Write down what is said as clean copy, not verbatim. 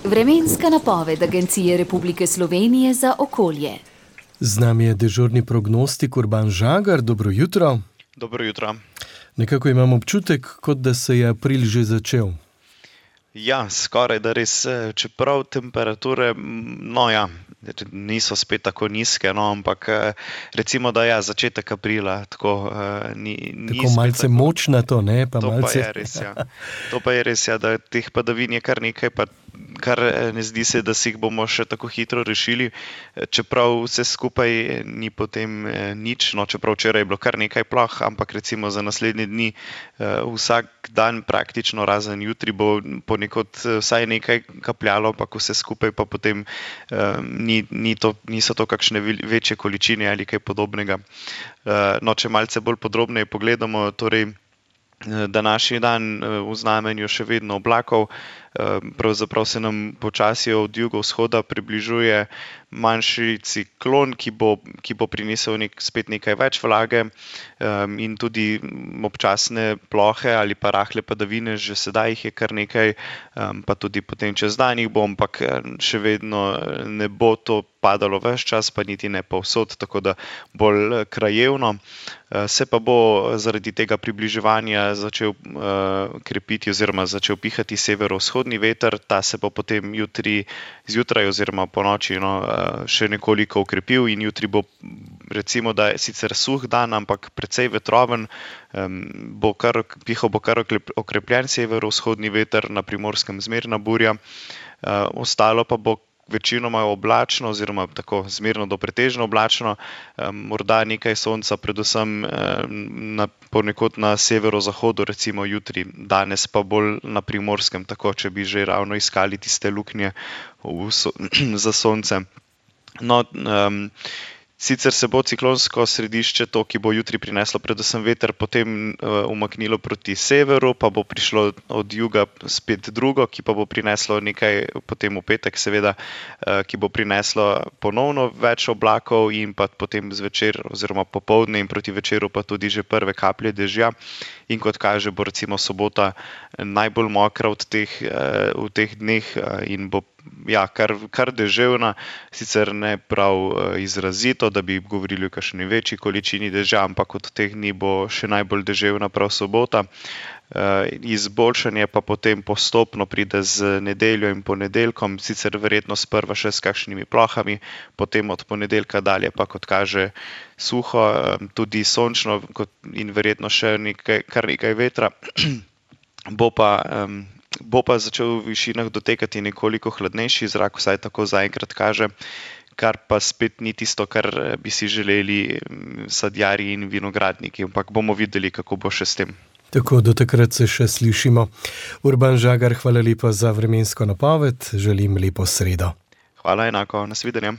Vremenska napoved Agencije Republike Slovenije za okolje. Z nami je dežurni prognostik Urban Žagar. Dobro jutro. Dobro jutro. Nekako imam občutek, kot da se je april že začel. Ja, skoraj da res, čeprav temperature, niso spet tako nizke, ampak recimo, da je začetek aprila, tako Tako malce močnato, ne? Pa To malce... pa je res, ja. To pa je res, ja, da teh padavin je kar nekaj, pa kar ne zdi se, da si jih bomo še tako hitro rešili, čeprav vse skupaj ni potem nič, čeprav včeraj je bilo kar nekaj ploh, ampak recimo za naslednje dni vsak dan praktično razen jutri bo ponekod vsaj nekaj kapljalo, ampak vse skupaj pa potem niso to kakšne večje količine ali kaj podobnega. Če malce bolj podrobneje pogledamo, torej današnji dan v znamenju še vedno oblakov, pravzaprav se nam počasi od jugovzhoda približuje manjši ciklon, ki bo prinesel spet nekaj več vlage in tudi občasne plohe ali pa rahle padavine, že sedaj jih je kar nekaj, pa tudi potem čez dan jih bo, ampak še vedno ne bo to padalo ves čas, pa niti ne povsod, tako da bolj krajevno. Se pa bo zaradi tega približevanja začel krepiti oziroma začel pihati severovzhodni veter, ta se bo potem jutri zjutraj oziroma ponoči še nekoliko okrepil in jutri bo recimo, da je sicer suh dan, ampak precej vetroven, pihal bo kar okrepljen severovzhodni veter, na Primorskem zmerna burja, ostalo pa bo večinoma oblačno oziroma tako zmerno do pretežno oblačno, morda nekaj sonca, predvsem ponekod na severozahodu, recimo jutri, danes pa bolj na Primorskem, tako če bi že ravno iskali tiste luknje za sonce. Sicer se bo ciklonsko središče, to, ki bo jutri prineslo predvsem veter, potem umaknilo proti severu, pa bo prišlo od juga spet drugo, ki pa bo prineslo nekaj potem v petek, seveda, ki bo prineslo ponovno več oblakov in pa potem zvečer oziroma popoldne in proti večeru pa tudi že prve kaplje dežja. In kot kaže, bo recimo sobota najbolj mokra v teh dneh in bo kar deževna, sicer ne prav izrazito, da bi govorili o kakšni večji količini dežja, ampak od teh dni bo še najbolj deževna prav sobota. Izboljšanje pa potem postopno pride z nedeljo in ponedeljkom, sicer verjetno sprva še s kakšnimi plohami, potem od ponedeljka dalje pa, kot kaže, suho, tudi sončno in verjetno še kar nekaj vetra. Bo pa začel v višinah dotekati nekoliko hladnejši zrak, vsaj tako zaenkrat kaže, kar pa spet ni tisto, kar bi si želeli sadjarji in vinogradniki, ampak bomo videli, kako bo še s tem. Tako, do takrat se še slišimo. Urban Žagar, hvala lepa za vremensko napoved, želim lepo sredo. Hvala enako, nasvidenje.